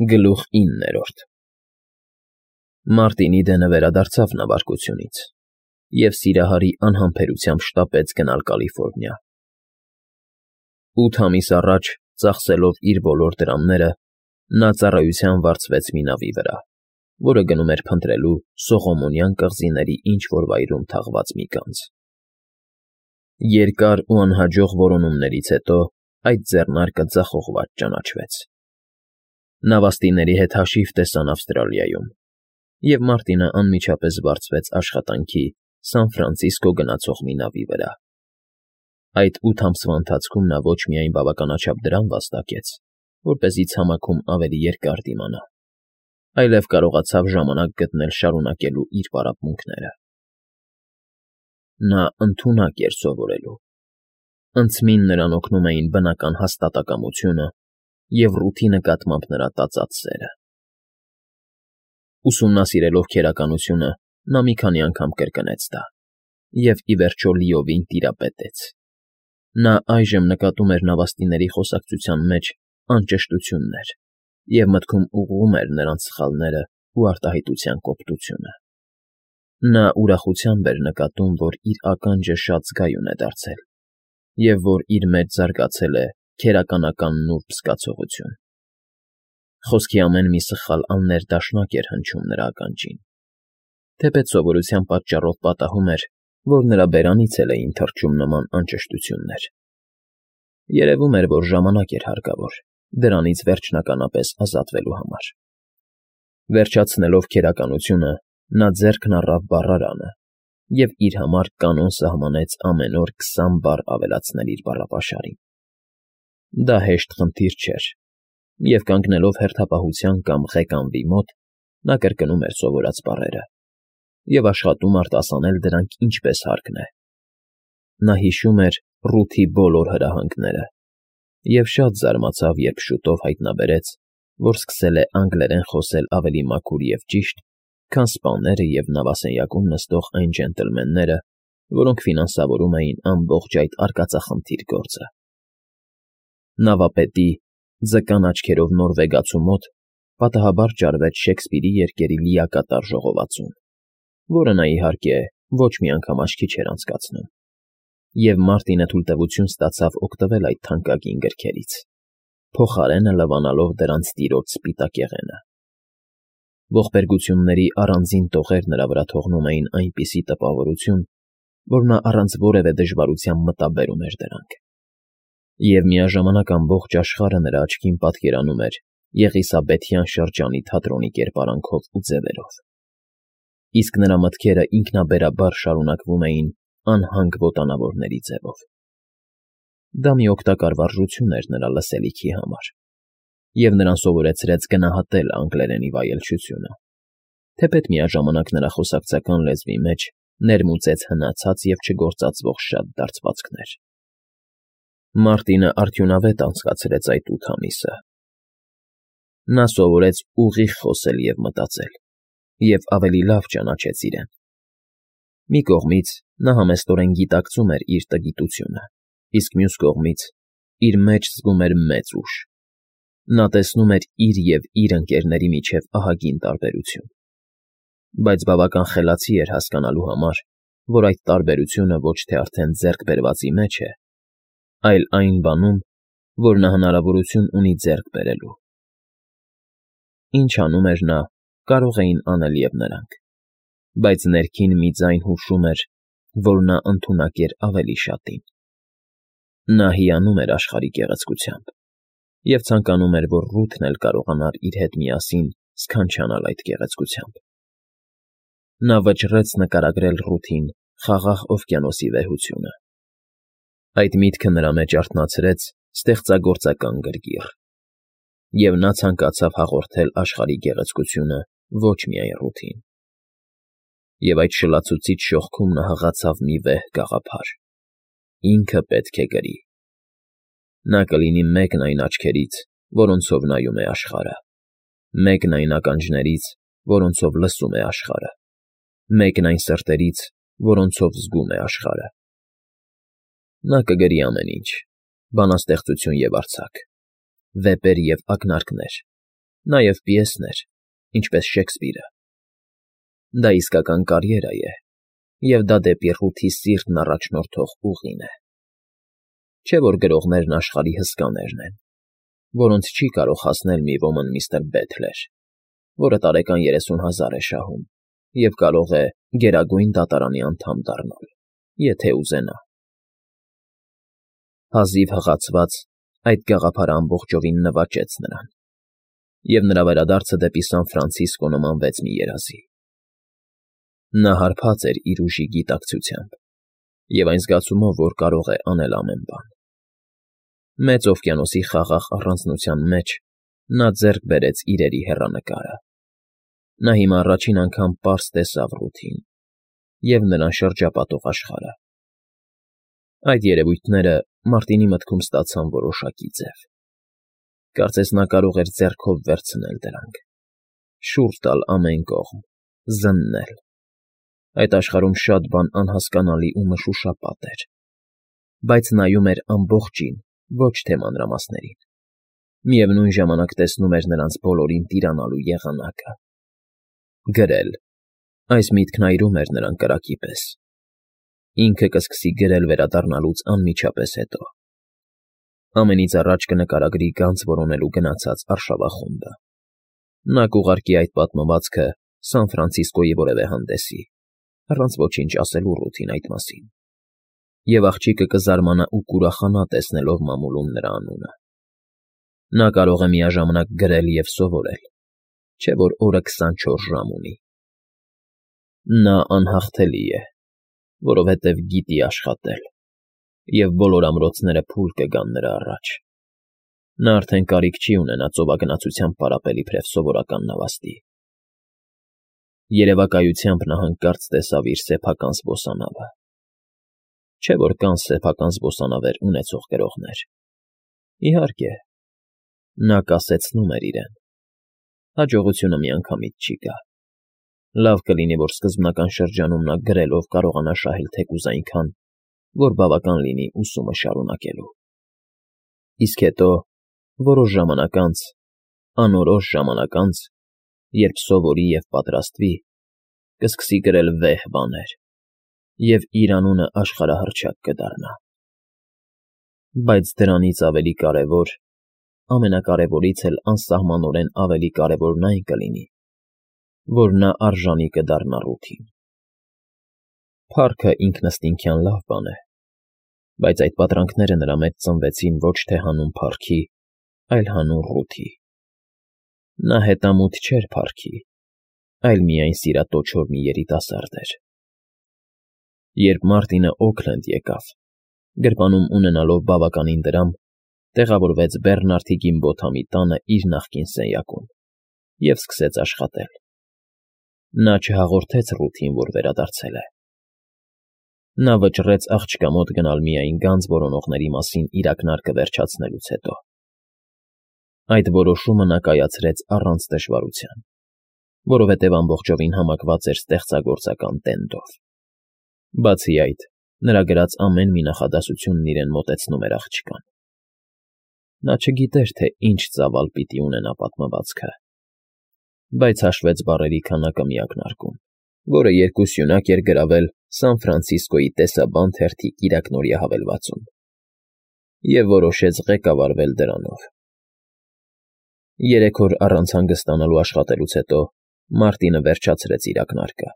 Գլուխ 9 Մարտինի դենը վերադարձավ նավարկությունից և Սիրահարի անհամբերությամբ շտապեց գնալ Կալիֆոռնիա։ 8 ամիս առաջ, ծախսելով իր բոլոր դրամները, նա ծառայության վարձվեց մի նավի վրա, որը գնում էր փնտրելու Սողոմոնյան կղզիների ինչ-որ վայրում թաղված մի գանձ։ Երկար ու անհաջող որոնումներից հետո այդ ձեռնարկը ձախողված ճանաչվեց։ Նավաստիների հետ հաշիվ տեսան Ավստրալիայում, և Մարտինը անմիջապես վարձվեց աշխատանքի Սան Ֆրանցիսկո գնացող մի նավի վրա։ Այդ 8 ամսվա ընթացքում նա ոչ միայն բավականաչափ դրամ վաստակեց, որպեսզի ցամաքում ավելի երկար դիմանա, այլև կարողացավ ժամանակ գտնել շարունակելու իր պարապմունքները։ Նա ընդունակ էր սովորելու։ Ընթացքին նրան օգնում էին բնական հաստատակամությունը և ռութի նկատմամբ նրա տածած սերը։ Ուսումնասիրելով քերականությունը, նա մի քանի անգամ կրկնեց դա և, ի վերջո, լիովին տիրապետեց։ Նա այժմ նկատում էր նավաստիների խոսակցության մեջ անճշտություններ և մտքում ուղղում էր նրանց սխալներն ու արտահայտության կոպտությունը։ Նա ուրախությամբ էր նկատում, որ իր ականջը շատ զգայուն է դարձել և որ իր մեջ զարգացել է քերականական նուրբ զգացողություն։ Խոսքի ամեն մի սխալ աններդաշնակ էր հնչում նրա ականջին, թեպետ սովորության պատճառով պատահում էր, որ նրա բերանից էլ էին թռչում նման անճշտություններ։ Երևում էր, որ ժամանակ էր հարկավոր դրանից վերջնականապես ազատվելու համար։ Վերջացնելով քերականությունը, նա ձեռքն առավ բառարանը և իր համար կանոն սահմանեց ամեն օր 20 բառ ավելացնել իր բառապաշարին։ Դա հեշտ խնդիր չէր, և կանգնելով հերթապահության կամ ղեկանվի մոտ, նա կրկնում էր սովորած բառերը և աշխատում արտասանել դրանք ինչպես հարկն է։ Նա հիշում էր Ռութի բոլոր հրահանգները և շատ զարմացավ, երբ շուտով հայտնաբերեց, որ սկսել է անգլերեն խոսել ավելի մաքուր և ճիշտ, քան սպաները և նավասենյակում նստող այն ջենտլմենները, որոնք ֆինանսավորում էին ամբողջ այդ արկածախնդիր գործը։ Նավապետի, ձկան աչքերով նորվեգացու մոտ պատահաբար ճարվեց Շեքսպիրի երկերի լիակատար ժողովածուն, որը նա, իհարկե, ոչ մի անգամ աչքի չէր անցկացնում, և Մարտինը թույլտվություն ստացավ օգտվել այդ թանկագին գրքերից, փոխարենը լվանալով դրանց տիրոջ սպիտակեղենը։ Ողբերգությունների առանձին տողեր նրա վրա թողնում էին այնպիսի տպավորություն, որ նա առանց որևէ դժվարության մտաբերում էր դրանք, և միաժամանակ ամբողջ աշխարհը նրա աչքին պատկերանում էր Եղիսաբեթյան շրջանի թատրոնի կերպարանքով ու ձևերով, իսկ նրա մտքերը ինքնաբերաբար շարունակվում էին անհանգ ոտանավորների ձևով։ Դա մի օգտակար վարժություն էր նրա լսելիքի համար, և նրան սովորեցրեց գնահատել անգլերենի վայելչությունը, թեպետ միաժամանակ նրա խոսակցական լեզվի մեջ ներմուծեց հնացած և չգործածվող շատ դարձվածքներ։ Մարտինը արդյունավետ անցկացրեց այդ 8 ամիսը։ Նա սովորեց ուղիղ խոսել և մտածել և ավելի լավ ճանաչեց իրեն։ Մի կողմից նա համեստորեն գիտակցում էր իր տգիտությունը, իսկ մյուս կողմից իր մեջ զգում էր մեծ ուժ։ Նա տեսնում էր իր և իր ընկերների միջև ահագին տարբերություն, բայց բավական խելացի էր հասկանալու համար, որ այդ տարբերությունը ոչ թե արդեն ձեռք բերվածի մեջ է, այլ այն բանում, որ նա հնարավորություն ունի ձեռք բերելու։ Ինչ անում էր նա, կարող էին անել և նրանք, բայց ներքին մի ձայն հուշում էր, որ նա ընդունակ էր ավելի շատին։ Նա հիանում էր աշխարհի գեղեցկությամբ և ցանկանում էր, որ Ռութն էլ կարողանար իր հետ միասին սքանչանալ այդ գեղեցկությամբ։ Նա վճռեց նկարագրել Ռութին Խաղաղ օվկիանոսի վեհությունը։ Այդ միտքը նրա մեջ արթնացրեց ստեղծագործական գրգիռ, և նա ցանկացավ հաղորդել աշխարհի գեղեցկությունը ոչ միայն Ռութին։ Եվ այդ շլացուցիչ շողքում նա հղացավ մի վեհ գաղափար. ինքը պետք է գրի։ Նա կլինի մեկն այն աչքերից, որոնցով նայում է աշխարհը, մեկն այն ականջներից, որոնցով լսում է աշխարհը, մեկն այն սրտերից, որոնցով զգում է աշխարհը։ Նա կգրի ամեն ինչ՝ բանաստեղծություն և արձակ, վեպեր և ակնարկներ, Նաև պիեսներ, ինչպես Շեքսպիրը։ Դա իսկական կարիերա է, և դա դեպի Ռութի սիրտն առաջնորդող ուղին է։ Չէ՞ որ գրողներն աշխարհի հսկաներն են, որոնց չի կարող հասնել մի ոմն միստր Բեթլեր, որը տարեկան 30,000 է շահում և կարող է Գերագույն Դատարանի անդամ դառնալ, եթե ուզենա։ Հազիվ հղացված, այդ գաղափարը ամբողջովին նվաճեց նրան, և նրա վերադարձը դեպի Սան Ֆրանցիսկո նմանվեց մի երազի։ Նա հարբած էր իր ուժի գիտակցությամբ և այն զգացումով, որ կարող է անել ամեն բան։ Մեծ օվկիանոսի խաղաղ առանձնության մեջ նա ձեռք բերեց իրերի հեռանկարը։ Նա հիմա առաջին անգամ պարզ տեսավ Ռութին և նրան շրջապատող աշխարհը։ Այդ երևույթները Մարտինի մտքում ստացան որոշակի ձև։ Կարծես նա կարող էր ձեռքով վերցնել դրանք, շուռ տալ ամեն կողմ, զննել։ Այդ աշխարհում շատ բան անհասկանալի ու մշուշապատ էր, բայց նայում էր ամբողջին, ոչ թե մանրամասներին։ Միևնույն ժամանակ տեսնում էր նրանց բոլորին տիրանալու եղանակը։ Գրել։ Այս միտքն այրում էր նրան կրակի պես։ Ինքը կսկսի գրել վերադառնալուց անմիջապես հետո։ Ամենից առաջ կնկարագրի գանձ որոնելու գնացած արշավախումբը։ Նա կուղարկի այդ պատմվածքը Սան Ֆրանցիսկոյի որևէ հանդեսի, առանց ոչինչ ասելու Ռութին այդ մասին։ Եվ աղջիկը կզարմանա ու կուրախանա տեսնելով մամուլում նրա անունը։ Նա կարող է միաժամանակ գրել և սովորել, չէ՞ որ օրը 24 ժամ ունի։ Նա անհաղթելի է, որովհետև գիտի աշխատել, և բոլոր ամրոցները փուլ կգան նրա առաջ։ Նա արդեն կարիք չի ունենա ծովագնացությամբ պարապել իբրև սովորական նավաստի։ Երևակայությամբ նա հանկարծ տեսավ իր սեփական զբոսանավը։ Չէ՞ որ կան սեփական զբոսանավեր ունեցող գրողներ։ Իհարկե, նա կասեցնում էր իրեն։ Հաջողությունը միանգամից չի գա։ Լավ կլինի, որ սկզբնական շրջանում նա գրելով կարողանա շահել թեկուզ այնքան, որ բավական լինի ուսումը շարունակելու։ Իսկ հետո, որոշ ժամանակ անց, անորոշ ժամանակ անց, երբ սովորի և պատրաստվի, կսկսի գրել վեհ բաներ, և իր անունը աշխարհահռչակ կդառնա։ Բայց դրանից ավելի կարևոր, ամենակարևորից էլ անսահմանորեն ավելի կարևորն այն կլինի, որ նա արժանի կդառնա Ռութին։ Փառքը ինքնըստինքյան լավ բան է, բայց այդ պատրանքները նրա մեջ ծնվեցին ոչ թե հանուն փառքի, այլ հանուն Ռութի։ Նա հետամուտ չէր փառքի, այլ միայն սիրատոչոր մի երիտասարդ էր։ Երբ Մարտինը Օքլենդ եկավ, գրպանում ունենալով բավականին դրամ, տեղավորվեց Բեռնարդի Գիմբոթամի տանը իր նախկին սենյակում և սկսեց աշխատել։ Նա չհաղորդեց Ռութին, որ վերադարձել է։ Նա վճռեց աղջկա մոտ գնալ միայն գանձ որոնողների մասին իր ակնարկը վերջացնելուց հետո։ Այդ որոշումը նա կայացրեց առանց դժվարության, որովհետև ամբողջովին համակված էր ստեղծագործական տենդով։ Բացի այդ, նրա գրած ամեն մի նախադասությունն իրեն մոտեցնում էր աղջկան։ Նա չգիտեր, թե ինչ ծավալ պիտի ունենա պատմվածքը, բայց հաշվեց բառերի քանակը մի ակնարկում, որը երկուսյունակ էր գրավել Սան Ֆրանցիսկոյի տեսաբան թերթի կիրակնօրյա հավելվածում, և որոշեց ղեկավարվել դրանով։ 3 օր առանց հանգստանալու աշխատելուց հետո Մարտինը վերջացրեց իր ակնարկը,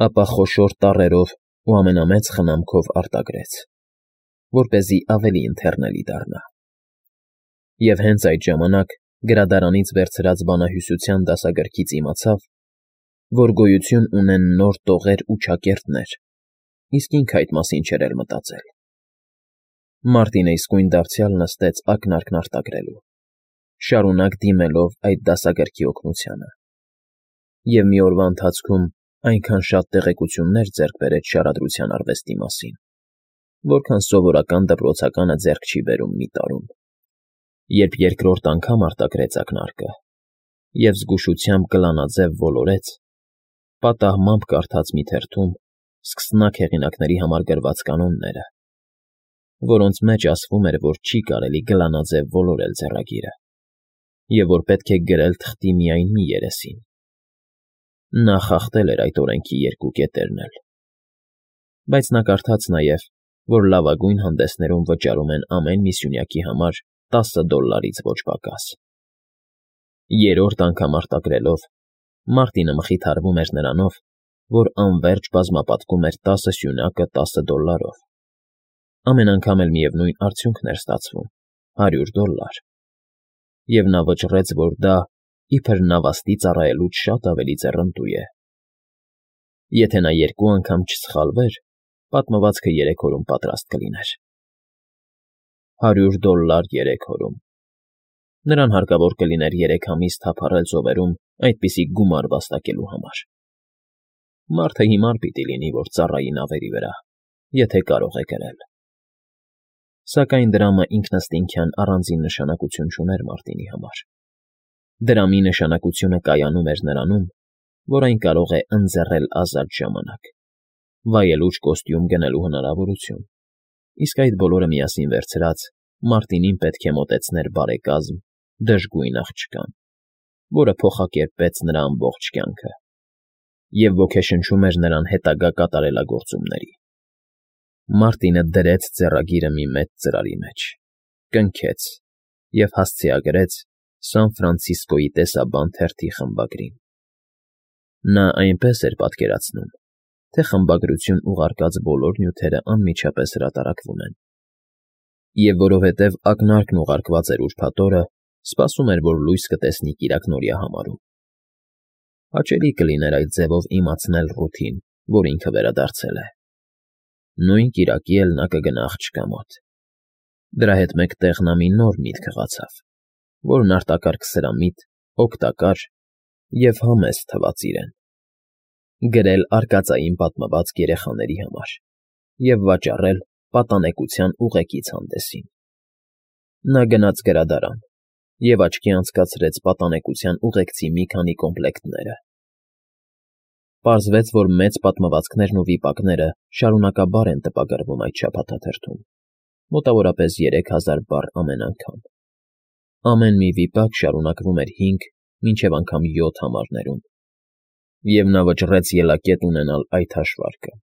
ապա խոշոր տառերով ու ամենամեծ խնամքով արտագրեց, որպեսզի ավելի ընթեռնելի դառնա։ Եվ հենց այդ ժամանակ գրադարանից վերցրած բանահյուսության դասագրքից իմացավ, որ գոյություն ունեն նոր տողեր ու չակերտներ, իսկ ինքը այդ մասին չէր էլ մտածել։ Մարտինը իսկույն դարձյալ նստեց ակնարկն արտագրելու, շարունակ դիմելով այդ դասագրքի օգնությանը, և մի օրվա ընթացքում այնքան շատ տեղեկություններ ձեռք բերեց շարադրության արվեստի մասին, որքան սովորական դպրոցականը ձեռք չի բերում մի տարում։ Երբ երկրորդ անգամ արտագրեց ակնարկը և զգուշությամբ կլանաձև ոլորեց, պատահմամբ կարդաց մի թերթում սկսնակ հեղինակների համար գրված կանոնները, որոնց մեջ ասվում էր, որ չի կարելի գլանաձև ոլորել ձեռագիրը, և որ պետք է գրել թղթի միայն մի երեսին։ Նա խախտել էր այդ օրենքի երկու կետերն էլ։ Բայց նա կարդաց նաև, որ լավագույն հանդեսներում վճարում են ամեն մի սյունյակի համար $10 ոչ պակաս։ Երրորդ անգամ արտագրելով, Մարտինը մխիթարվում էր նրանով, որ անվերջ բազմապատկում էր 10 սյունակը $10։ Ամեն անգամ էլ միևնույն արդյունքն էր ստացվում՝ $100։ Եվ նա վճռեց, որ դա, իբր նավաստի ծառայելուց շատ ավելի ձեռնտու է։ Եթե նա երկու անգամ չսխալվեր, պատմվածքը 3 օրում պատրաստ կլիներ։ $100 3 օրում։ Նրան հարկավոր կլիներ 3 ամիս թափառել ծովերում այդպիսի գումար վաստակելու համար։ Մարդը հիմար պիտի լինի, որ ծառայի նավերի վրա, եթե կարող է գրել։ Սակայն դրամը ինքնըստինքյան առանձին նշանակություն չուներ Մարտինի համար։ Դրամի նշանակությունը կայանում էր նրանում, որ այն կարող է ընձեռել ազատ ժամանակ, վայելուչ կոստյում գնելու հնարավորություն, իսկ այդ բոլորը միասին վերցրած Մարտինին պետք է մոտեցներ բարեկազմ, դժգույն աղջկան, որը փոխակերպեց նրա ամբողջ կյանքը և ոգեշնչում էր նրան հետագա կատարելագործումների։ Մարտինը դրեց ձեռագիրը մի մեծ ծրարի մեջ, կնքեց և հասցեագրեց Սան Ֆրանցիսկոյի տեսաբան թերթի խմբագրին։ Նա այնպես էր պատկերացնում, թե խմբագրություն ուղարկած բոլոր նյութերը անմիջապես հրատարակվում են։ Եվ որովհետև ակնարկն ուղարկված էր ուրբաթ օրը, սպասում էր, որ լույս կտեսնի կիրակնօրյա համարում։ Հաճելի կլիներ այդ ձևով իմացնել Ռութին, որ ինքը վերադարձել է։ Նույն կիրակի էլ նա կգնա աղջկա մոտ։ Դրա հետ մեկտեղ նա մի նոր միտք հղացավ, որն արտակարգ սրամիտ, օգտակար և համեստ թվաց իրեն։ Գրել արկածային պատմվածք երեխաների համար և վաճառել պատանեկության ուղեկից հանդեսին։ Նա գնաց գրադարան և աչքի անցկացրեց պատանեկության ուղեկցի մի քանի կոմպլեկտները։ Պարզվեց, որ մեծ պատմվածքներն ու վիպակները շարունակաբար են տպագրվում այդ շաբաթաթերթում, մոտավորապես 3000 բառ ամեն անգամ։ Ամեն մի վիպակ շարունակվում էր 5 մինչև անգամ 7 համարներում, և նա վճռեց ելակետ ունենալ այդ հաշվարկը։